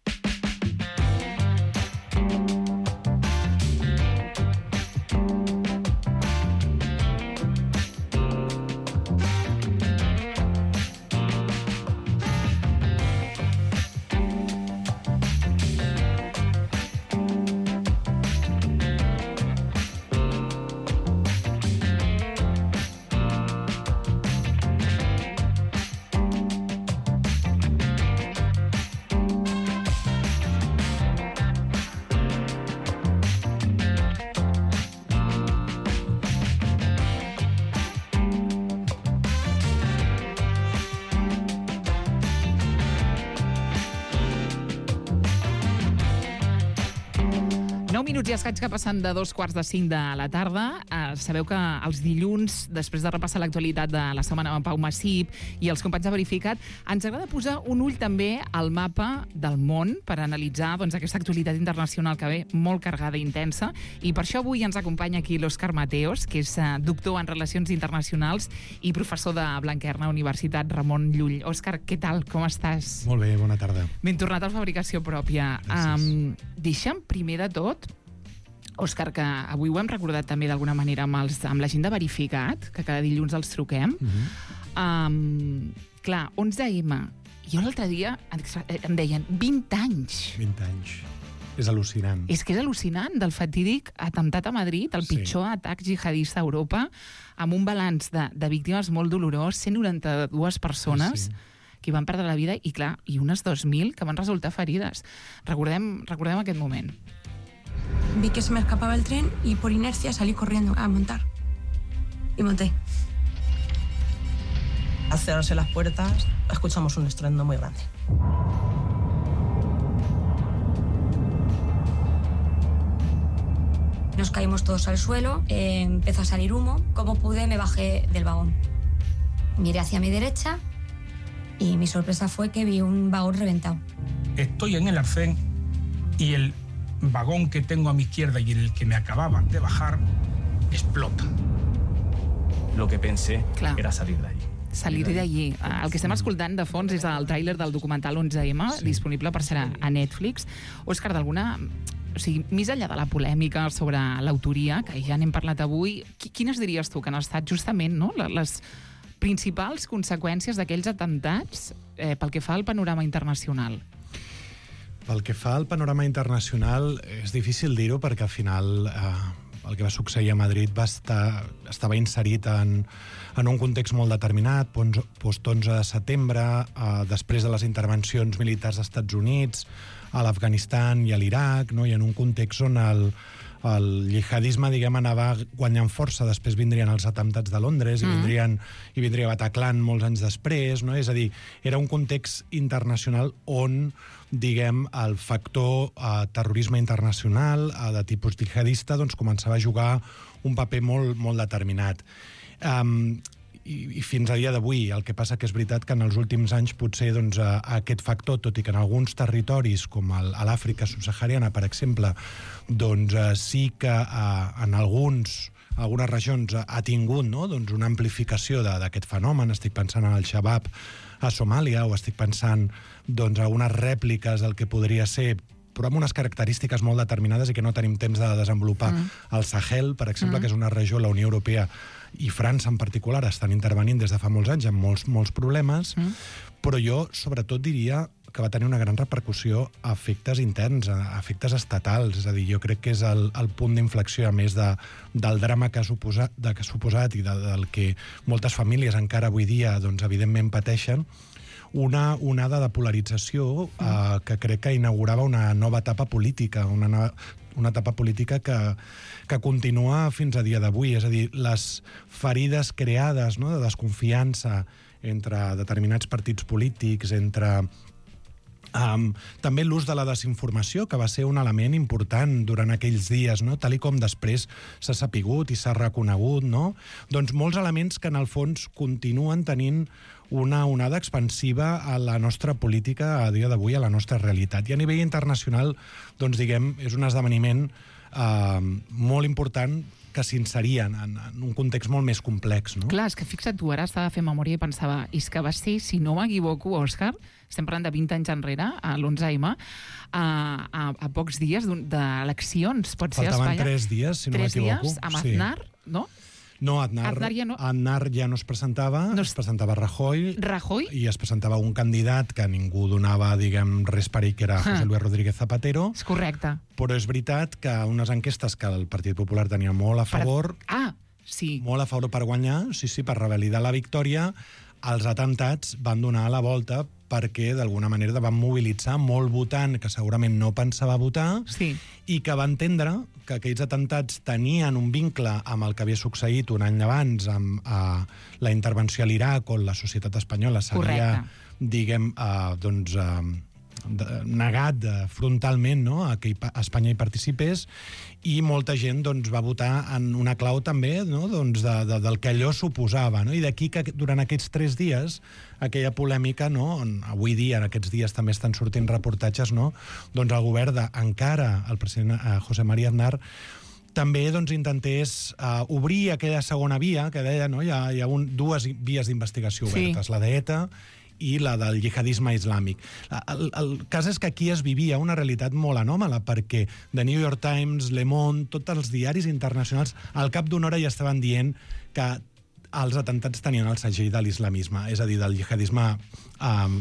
minuts i escaig que passen de 4:45 de la tarda. Sabeu que els dilluns, després de repassar l'actualitat de la setmana amb Pau Massip i els companys de Verificat, ens agrada posar un ull també al mapa del món per analitzar aquesta actualitat internacional que ve molt carregada i intensa. I per això avui ens acompanya aquí l'Òscar Mateos, que és doctor en Relacions Internacionals i professor de Blanquerna, Universitat Ramon Llull. Òscar, què tal? Com estàs? Molt bé, bona tarda. Ben tornat a Fabricació Pròpia. Deixa'm, primer de tot, Òscar, que avui ho hem recordat també d'alguna manera amb la gent de Verificat, que cada dilluns els truquem. Clar, 11M. Jo l'altre dia em deien 20 anys. 20 anys. És al·lucinant. És que és al·lucinant, del fatídic atemptat a Madrid, el pitjor atac jihadista a Europa, amb un balanç de víctimes molt dolorós, 192 persones que van perdre la vida i, clar, i unes 2.000 que van resultar ferides. Recordem aquest moment. Vi que se me escapaba el tren y por inercia salí corriendo a montar. Y monté. Al cerrarse las puertas, escuchamos un estruendo muy grande. Nos caímos todos al suelo, empezó a salir humo. Como pude, me bajé del vagón. Miré hacia mi derecha y mi sorpresa fue que vi un vagón reventado. Estoy en el arcén y el vagón que tengo a mi izquierda y en el que me acababan de bajar explota. Lo que pensé era salir de allí. Salir d'allí. El que estem escoltant de fons és el tràiler del documental 11M, disponible per ser a Netflix. Òscar, d'alguna... O sigui, més enllà de la polèmica sobre l'autoria, que ja n'hem parlat avui, quines diries tu que han estat justament les principals conseqüències d'aquells atemptats pel que fa al panorama internacional? Pel que fa al panorama internacional, és difícil dir-ho perquè al final el que va succeir a Madrid estava inserit en un context molt determinat, post-11 de setembre, després de les intervencions militars dels Estats Units, a l'Afganistan i a l'Iraq, no? I en un context on el jihadisme, diguem, anava guanyant força. Després vindrien els atemptats de Londres i vindria Bataclan molts anys després, no? És a dir, era un context internacional on, diguem, el factor terrorisme internacional de tipus jihadista doncs, començava a jugar un paper molt, molt determinat. I fins a dia d'avui. El que passa que és veritat que en els últims anys potser doncs, aquest factor, tot i que en alguns territoris, com a l'Àfrica subsahariana, per exemple, doncs sí que en algunes regions ha tingut doncs, una amplificació d'aquest fenomen. Estic pensant en el Shabab a Somàlia o estic pensant doncs, a unes rèpliques del que podria ser, però amb unes característiques molt determinades i que no tenim temps de desenvolupar. El Sahel, per exemple, que és una regió, la Unió Europea i França en particular estan intervenint des de fa molts anys amb molts problemes, però jo sobretot diria que va tenir una gran repercussió a efectes interns, a efectes estatals. És a dir, jo crec que és el punt d'inflexió, a més del drama que ha suposat i del que moltes famílies encara avui dia, doncs, evidentment, pateixen, una onada de polarització que crec que inaugurava una nova etapa política, una etapa política que continua fins a dia d'avui. És a dir, les ferides creades, no?, de desconfiança entre determinats partits polítics, entre també l'ús de la desinformació, que va ser un element important durant aquells dies, no?, tal i com després s'ha sapigut i s'ha reconegut, no? Doncs molts elements que en el fons continuen tenint una onada expansiva a la nostra política a dia d'avui, a la nostra realitat. I a nivell internacional, doncs, diguem, és un esdeveniment molt important que s'inserien en un context molt més complex, no? Clar, és que fixa't tu, ara estava fent memòria i pensava, és que va ser, si no m'equivoco, Òscar, estem parlant de 20 anys enrere, a l'11M, a pocs dies d'eleccions, pot ser a Espanya. Faltaven 3 dies, si no m'equivoco. 3 dies, amb Aznar, no? No, Aznar ja no es presentava, es presentava Rajoy i es presentava un candidat que ningú donava, diguem, res per ell, que era José Luis Rodríguez Zapatero. És correcte. Però és veritat que unes enquestes que el Partit Popular tenia molt a favor, molt a favor per guanyar, per revalidar la victòria, els atemptats van donar la volta perquè d'alguna manera van mobilitzar molt votant que segurament no pensava votar i que va entendre que aquells atemptats tenien un vincle amb el que havia succeït un any abans amb la intervenció a l'Iraq, on la societat espanyola s'havia, diguem, negat frontalment, no?, a que Espanya hi participés, i molta gent doncs, va votar en una clau també, no?, doncs, del que allò suposava, no? I d'aquí que durant aquests 3 dies aquella polèmica, no?, on avui dia, en aquests dies també estan sortint reportatges, no?, doncs el govern encara el president José María Aznar també doncs, intentés obrir aquella segona via que deia, no?, hi ha dues vies d'investigació obertes, la d'ETA i la del jihadisme islàmic. El cas és que aquí es vivia una realitat molt anòmala, perquè The New York Times, Le Monde, tots els diaris internacionals, al cap d'una hora ja estaven dient que els atemptats tenien el segell de l'islamisme, és a dir, del jihadisme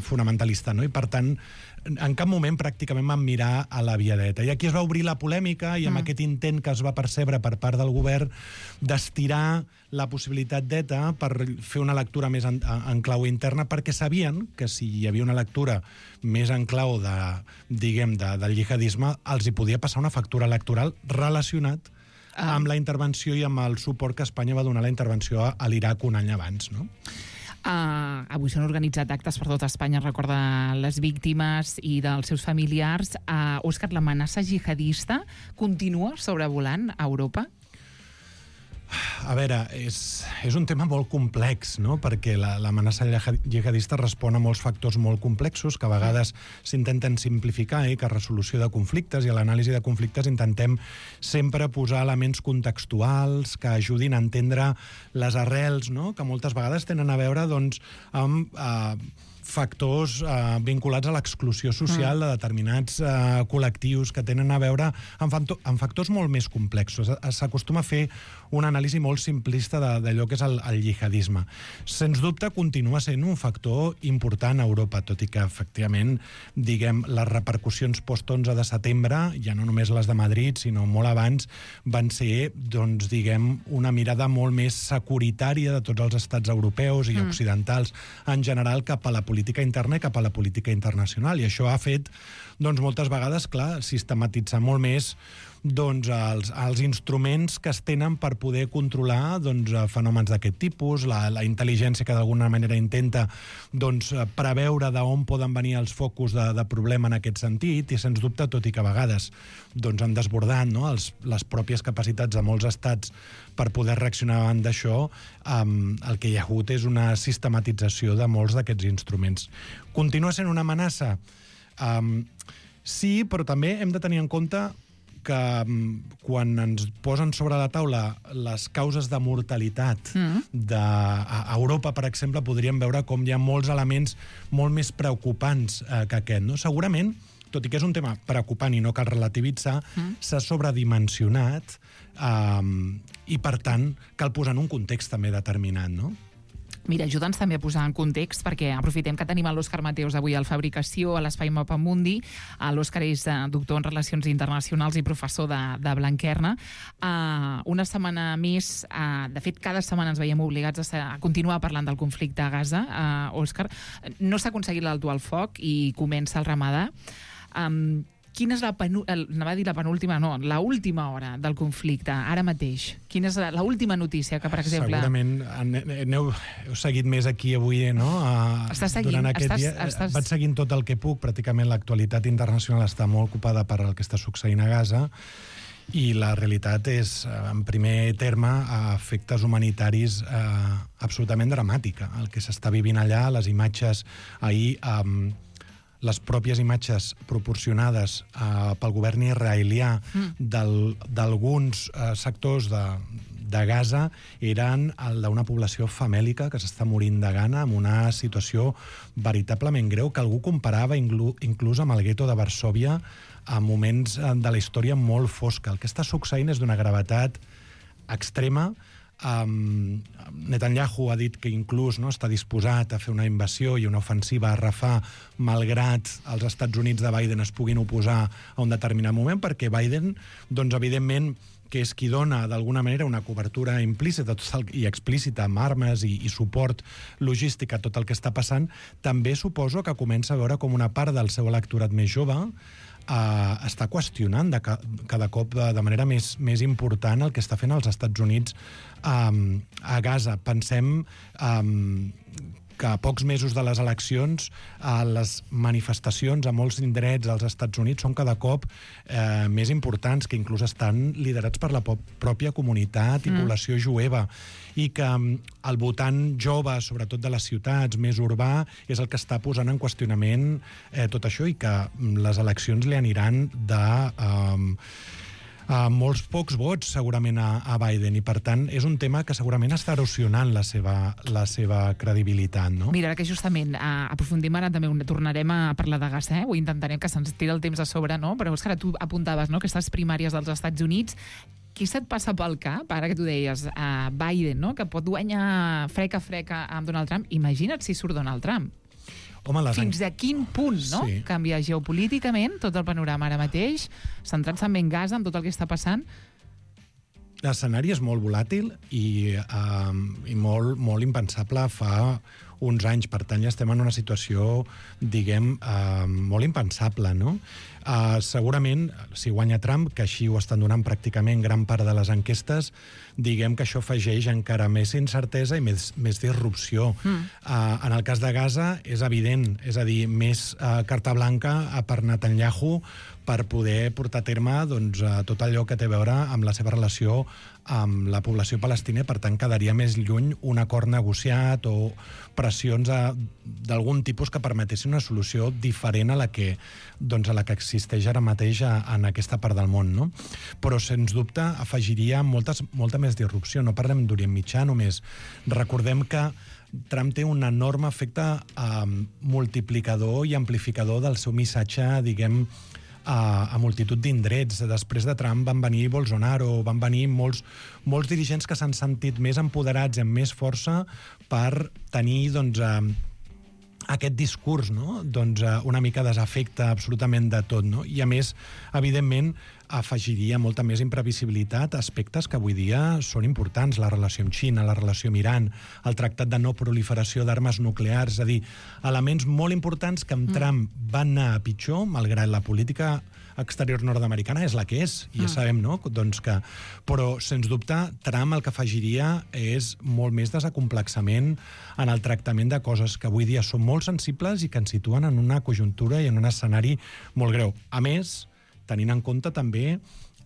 fonamentalista, no? I per tant, en cap moment pràcticament van mirar a la via d'ETA. I aquí es va obrir la polèmica i amb aquest intent que es va percebre per part del govern d'estirar la possibilitat d'ETA per fer una lectura més en clau interna, perquè sabien que si hi havia una lectura més en clau del jihadisme, els hi podia passar una factura electoral relacionat amb la intervenció i amb el suport que Espanya va donar a la intervenció a l'Iraq un any abans, no? Avui s'han organitzat actes per tot Espanya, recorda les víctimes i dels seus familiars. Òscar, l'amenaça jihadista continua sobrevolant a Europa? A veure, és un tema molt complex, no? Perquè l'amenaça jihadista respon a molts factors molt complexos que a vegades s'intenten simplificar i que a resolució de conflictes i a l'anàlisi de conflictes intentem sempre posar elements contextuals que ajudin a entendre les arrels, no? Que moltes vegades tenen a veure doncs, amb factors vinculats a l'exclusió social de determinats col·lectius que tenen a veure amb factors molt més complexos. S'acostuma a fer una anàlisi molt simplista d'allò que és el jihadisme. Sens dubte continua sent un factor important a Europa, tot i que, efectivament, diguem, les repercussions post-11 de setembre, ja no només les de Madrid, sinó molt abans, van ser, doncs, diguem, una mirada molt més securitària de tots els estats europeus i occidentals en general cap a la política interna i cap a la política internacional. I això ha fet, doncs, moltes vegades, clar, sistematitzar molt més doncs, els instruments que es tenen per poder controlar doncs, fenòmens d'aquest tipus, la intel·ligència que d'alguna manera intenta doncs, preveure d'on poden venir els focus de problema en aquest sentit, i sens dubte, tot i que a vegades doncs, han desbordat, no? les pròpies capacitats de molts estats per poder reaccionar davant d'això, el que hi ha hagut és una sistematització de molts d'aquests instruments. Continua sent una amenaça? Sí, però també hem de tenir en compte que quan ens posen sobre la taula les causes de mortalitat a Europa, per exemple, podríem veure com hi ha molts elements molt més preocupants que aquest. No? Segurament, tot i que és un tema preocupant i no cal relativitzar, s'ha sobredimensionat i, per tant, cal posar en un context també determinat, no? Mira, ajuda'ns també a posar en context, perquè aprofitem que tenim l'Òscar Mateos avui al Fabricació, a l'Espai Mapamundi. L'Òscar és doctor en Relacions Internacionals i professor de Blanquerna. Una setmana més, de fet, cada setmana ens veiem obligats a continuar parlant del conflicte a Gaza. Òscar, no s'ha aconseguit l'alto al foc i comença el ramadà. Quina és l'última hora del conflicte, ara mateix? Quina és l'última notícia que, per exemple... Segurament heu seguit més aquí avui, no? Estàs seguint? Vaig seguint tot el que puc. Pràcticament l'actualitat internacional està molt ocupada per el que està succeint a Gaza, i la realitat és, en primer terme, a efectes humanitaris absolutament dramàtica. El que s'està vivint allà, les imatges ahir... les pròpies imatges proporcionades pel govern israelià d'alguns sectors de Gaza eren el d'una població famèlica que s'està morint de gana, amb una situació veritablement greu que algú comparava inclús amb el gueto de Varsòvia a moments de la història molt fosca. El que està succeint és d'una gravetat extrema. Netanyahu ha dit que inclús està disposat a fer una invasió i una ofensiva a Rafah malgrat els Estats Units de Biden es puguin oposar a un determinat moment, perquè Biden, doncs, evidentment, que és qui dona d'alguna manera una cobertura implícita i explícita amb armes i suport logístic a tot el que està passant, també suposo que comença a veure com una part del seu electorat més jove està qüestionant cada cop de manera més important el que està fent els Estats Units a Gaza. Pensem que a pocs mesos de les eleccions les manifestacions a molts indrets dels Estats Units són cada cop més importants, que inclús estan liderats per la pròpia comunitat i població jueva, i que el votant jove, sobretot de les ciutats, més urbà, és el que està posant en qüestionament tot això, i que les eleccions li aniran de molts pocs vots segurament a Biden, i per tant és un tema que segurament està erosionant la seva credibilitat, no? Mira, que justament aprofundim ara, també tornarem a parlar de Gaza, ho intentarem, que se'ns tira el temps a sobre, no? Però és que ara tu apuntaves, no?, aquestes primàries dels Estats Units. Què se't passa pel cap, ara que tu deies, Biden, no?, que pot guanyar freca amb Donald Trump? Imagina't si surt Donald Trump. Home, fins a quin punt, no?, canvia geopolíticament tot el panorama ara mateix, centrant-se en Gaza, amb tot el que està passant? L'escenari és molt volàtil i molt impensable fa uns anys. Per tant, ja estem en una situació, diguem, molt impensable, no? Segurament, si guanya Trump, que així ho estan donant pràcticament gran part de les enquestes, diguem que això afegeix encara més incertesa i més disrupció. En el cas de Gaza és evident, és a dir, més carta blanca per Netanyahu per poder portar a terme tot allò que té a veure amb la seva relació amb la població palestina, per tant quedaria més lluny un acord negociat o pressions d'algun tipus que permetessin una solució diferent a la que existeix ara mateix en aquesta part del món, no? Però, sens dubte, afegiria molta més disrupció. No parlem d'Orient Mitjà només. Recordem que Trump té un enorme efecte multiplicador i amplificador del seu missatge, diguem, a multitud d'indrets. Després de Trump van venir Bolsonaro, van venir molts dirigents que s'han sentit més empoderats i amb més força per tenir, aquest discurs, no? Una mica desafecte absolutament de tot, no? I a més, evidentment, afegiria molta més imprevisibilitat a aspectes que avui dia són importants, la relació amb Xina, la relació amb Iran, el tractat de no proliferació d'armes nuclears, és a dir, elements molt importants que amb Trump van anar a pitjor, malgrat la política exterior nord-americana és la que és, i ja sabem, no? Però, sens dubte, Trump el que afegiria és molt més desacomplexament en el tractament de coses que avui dia són molt sensibles i que ens situen en una conjuntura i en un escenari molt greu. A més, tenint en compte també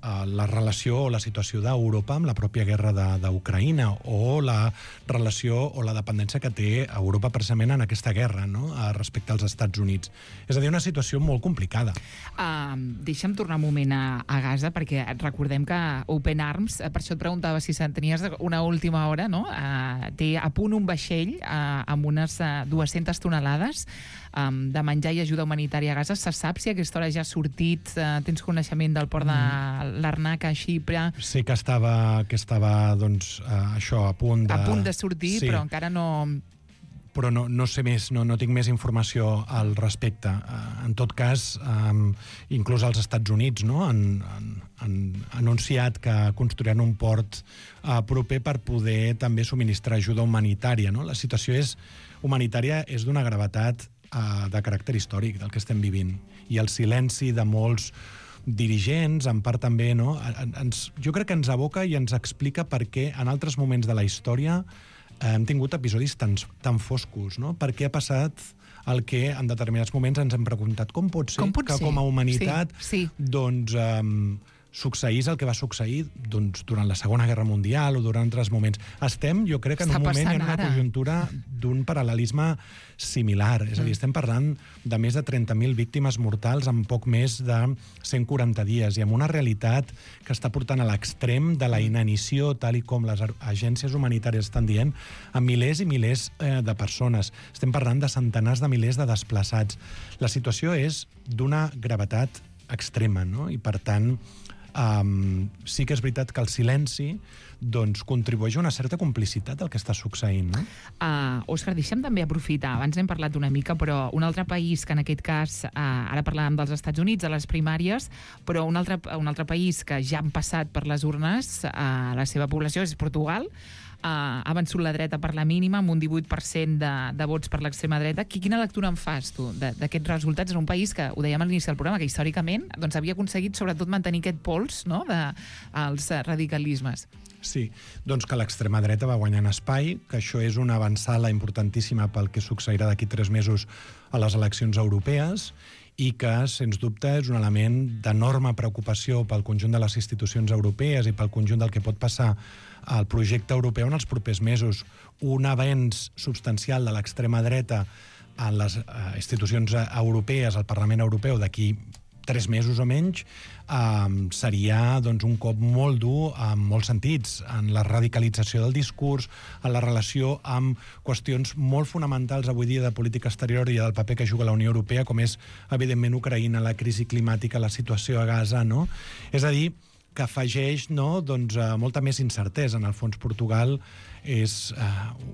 la relació o la situació d'Europa amb la pròpia guerra d'Ucraïna o la relació o la dependència que té Europa precisament en aquesta guerra, no? Respecte als Estats Units. És a dir, una situació molt complicada. Deixa'm tornar un moment a Gaza, perquè recordem que Open Arms, per això et preguntava si tenies una última hora, no? Té a punt un vaixell amb unes 200 tonelades de menjar i ajuda humanitària a Gaza. Se sap si aquesta hora ja ha sortit? Tens coneixement del port de Larnaca, a Xipre? Sí que estava això, a punt de sortir, sí. Però encara no... Però no sé més, no tinc més informació al respecte. En tot cas, inclús els Estats Units han anunciat que construiran un port proper per poder també subministrar ajuda humanitària, no? La situació humanitària és d'una gravetat de caràcter històric del que estem vivint. I el silenci de molts dirigents, en part també, no? Jo crec que ens aboca i ens explica per què en altres moments de la història hem tingut episodis tan foscos, no? Per què ha passat el que en determinats moments ens hem preguntat com pot ser que com a humanitat succeís el que va succeir durant la Segona Guerra Mundial o durant altres moments. Estem, jo crec, en un moment i en una conjuntura d'un paral·lelisme similar. És a dir, estem parlant de més de 30.000 víctimes mortals en poc més de 140 dies i amb una realitat que està portant a l'extrem de la inanició, tal i com les agències humanitàries estan dient, a milers i milers de persones. Estem parlant de centenars de milers de desplaçats. La situació és d'una gravetat extrema, no? I, per tant, sí que és veritat que el silenci contribueix a una certa complicitat del que està succeint, no? Òscar, deixa'm també aprofitar. Abans n'hem parlat una mica, però un altre país que en aquest cas, ara parlàvem dels Estats Units, a les primàries, però un altre país que ja han passat per les urnes, la seva població és Portugal. Ha vençut la dreta per la mínima, amb un 18% de vots per l'extrema dreta. Quina lectura en fas, tu, d'aquests resultats en un país que, ho dèiem a l'inici del programa, que històricament havia aconseguit sobretot mantenir aquest pols, no?, dels radicalismes? Sí, doncs que l'extrema dreta va guanyant espai, que això és una avançada importantíssima pel que succeirà d'aquí 3 mesos a les eleccions europees, i que, sens dubte, és un element d'enorme preocupació pel conjunt de les institucions europees i pel conjunt del que pot passar al projecte europeu en els propers mesos. Un avenç substancial de l'extrema dreta en les institucions europees, al Parlament Europeu, d'aquí 3 mesos o menys, seria un cop molt dur en molts sentits, en la radicalització del discurs, en la relació amb qüestions molt fonamentals avui dia de política exterior i del paper que juga la Unió Europea, com és, evidentment, Ucraïna, la crisi climàtica, la situació a Gaza, no? És a dir, que afegeix molta més incertesa. En el fons, Portugal és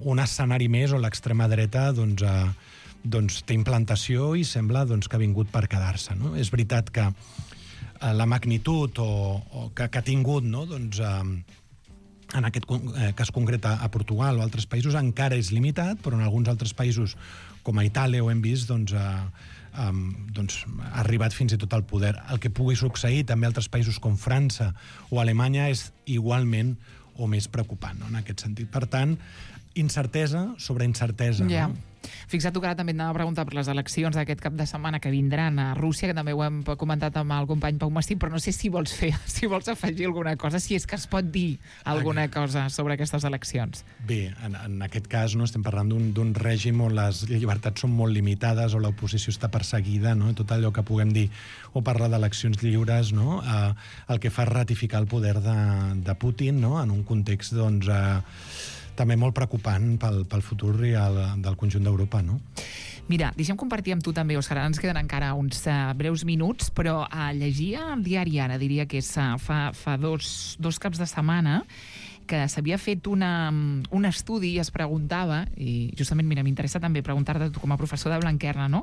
un escenari més on l'extrema dreta té implantació i sembla que ha vingut per quedar-se, no? És veritat que la magnitud que ha tingut, no?, en aquest cas concret a Portugal o altres països encara és limitat, però en alguns altres països com a Itàlia ho hem vist, doncs, ha arribat fins i tot al poder. El que pugui succeir també a altres països com França o Alemanya és igualment o més preocupant, no?, en aquest sentit. Per tant, incertesa sobre incertesa. Ja. No? Fixa't tu que ara també et anava a preguntar per les eleccions d'aquest cap de setmana que vindran a Rússia, que també ho hem comentat amb el company Pau Mastí, però no sé si vols afegir alguna cosa, si és que es pot dir alguna cosa sobre aquestes eleccions. Bé, en aquest cas no estem parlant d'un règim on les llibertats són molt limitades, o l'oposició està perseguida, no? Tot allò que puguem dir o parlar d'eleccions lliures, no? El que fa és ratificar el poder de Putin, no? En un context, doncs, també molt preocupant pel futur del conjunt d'Europa, no? Mira, deixem compartir amb tu també, Òscar, ens queden encara uns breus minuts, però llegia el diari Ara, diria que és fa dos caps de setmana, que s'havia fet un estudi i es preguntava, i justament, mira, m'interessa també preguntar-te a tu com a professor de Blanquerna, no?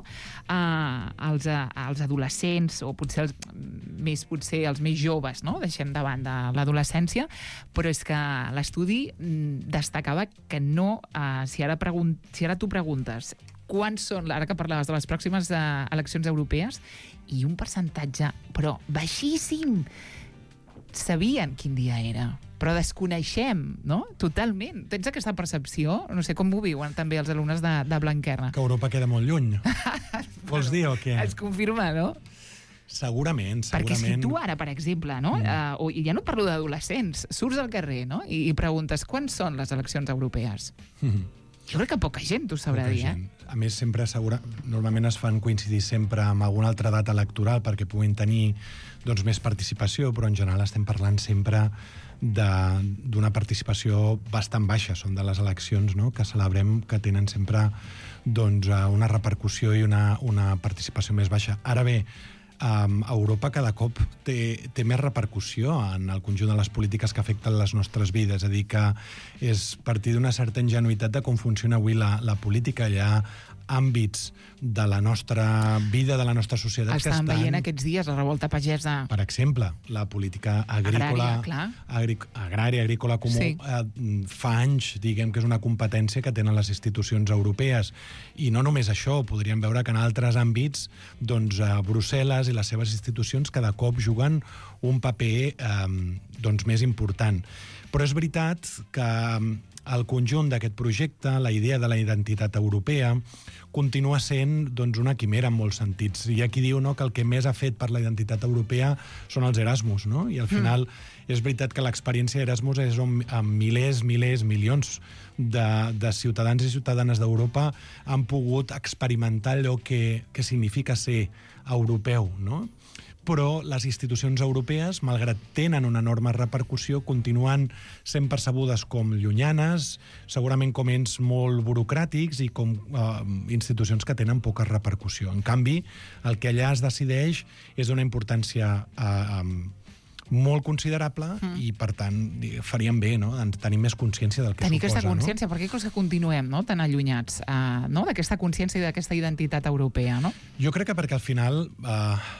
als adolescents, o potser els més joves, no? Deixem davant de l'adolescència, però és que l'estudi destacava que no, si ara tu preguntes quants són, ara que parlaves de les pròximes eleccions europees, i un percentatge, però baixíssim, sabien quin dia era, però desconeixem, no? Totalment. Tens aquesta percepció? No sé com ho viuen també els alumnes de Blanquerna. Que Europa queda molt lluny. Vols dir o què? Es confirma, no? Segurament. Perquè si tu ara, per exemple, no? I ja no parlo d'adolescents, surts al carrer, no? I preguntes quants són les eleccions europees? Jo crec que poca gent t'ho sabrà dir, A més, normalment es fan coincidir sempre amb alguna altra data electoral perquè puguin tenir, doncs, més participació, però en general estem parlant sempre d'una participació bastant baixa. Són de les eleccions, no?, que celebrem, que tenen sempre, doncs, una repercussió i una participació més baixa. Ara bé, Europa cada cop té més repercussió en el conjunt de les polítiques que afecten les nostres vides. És a dir, que és partir d'una certa ingenuïtat de com funciona avui la política. Hi ha àmbits de la nostra vida, de la nostra societat, que estan... veient aquests dies la revolta pagesa. Per exemple, la política agrícola, agrícola comú, fa anys, diguem, que és una competència que tenen les institucions europees. I no només això, podríem veure que en altres àmbits, doncs, Brussel·les i les seves institucions cada cop juguen un paper doncs, més important. Però és veritat que el conjunt d'aquest projecte, la idea de la identitat europea, continua sent, doncs, una quimera en molts sentits. Hi ha qui diu, no?, que el que més ha fet per la identitat europea són els Erasmus, no? I al final és veritat que l'experiència d'Erasmus és on milers, milions de ciutadans i ciutadanes d'Europa han pogut experimentar allò que significa ser europeu, no? Però les institucions europees, malgrat tenen una enorme repercussió, continuen sent percebudes com llunyanes, segurament com ens molt burocràtics i com institucions que tenen poca repercussió. En canvi, el que allà es decideix és d'una importància molt considerable i, per tant, faríem bé, no?, de tenir més consciència del que tenir suposa. Aquesta consciència, perquè creus que continuem, no?, tan allunyats, no?, d'aquesta consciència i d'aquesta identitat europea, no? Jo crec que perquè al final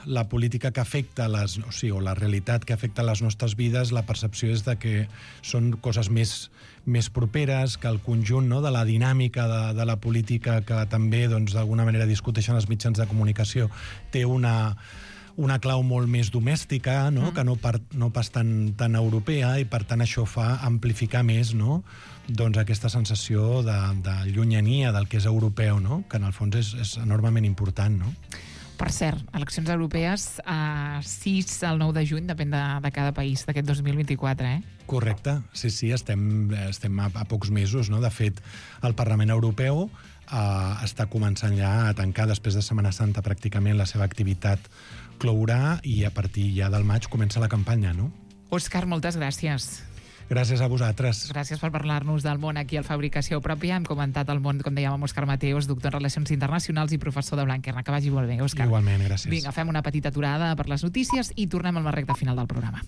la política que afecta o la realitat que afecta les nostres vides, la percepció és de que són coses més properes, que el conjunt, no?, de la dinàmica de la política que també, doncs, d'alguna manera discuteixen els mitjans de comunicació, té una clau molt més domèstica, no?, que no pas tan europea, i per tant això fa amplificar més, no?, doncs aquesta sensació de llunyania del que és europeu, no?, que en el fons és enormement important, no? Per cert, eleccions europees 6 al 9 de juny, depèn de cada país d'aquest 2024, Correcte, sí, estem a pocs mesos, no? De fet, el Parlament Europeu està començant ja a tancar, després de Setmana Santa, pràcticament la seva activitat clourà, i a partir ja del maig comença la campanya, no? Òscar, moltes gràcies. Gràcies a vosaltres. Gràcies per parlar-nos del món aquí al Fabricació Pròpia. Hem comentat el món, com dèiem, amb Òscar Mateos, doctor en Relacions Internacionals i professor de Blanquerna. Que vagi molt bé, Òscar. Igualment, gràcies. Vinga, fem una petita aturada per les notícies i tornem al recta final del programa.